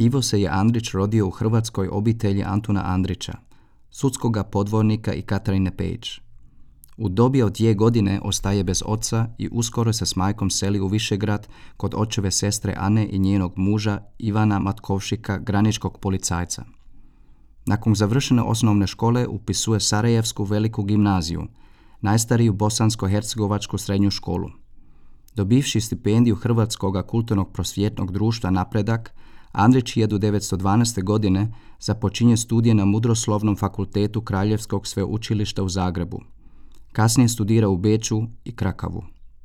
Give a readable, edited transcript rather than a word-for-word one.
Ivo se je Andrić rodio u hrvatskoj obitelji Antuna Andrića, sudskoga podvornika i Katarine Pejić. U dobi od 2 godine ostaje bez oca i uskoro se s majkom seli u Višegrad kod očeve sestre Ane i njenog muža Ivana Matkovšika, graničkog policajca. Nakon završene osnovne škole upisuje Sarajevsku veliku gimnaziju, najstariju bosansko-hercegovačku srednju školu. Dobivši stipendiju Hrvatskog kulturnog prosvjetnog društva Napredak, Andrić 1912. godine započinje studije na Mudroslovnom fakultetu Kraljevskog sveučilišta u Zagrebu. Kasnije studira u Beču i Krakavu.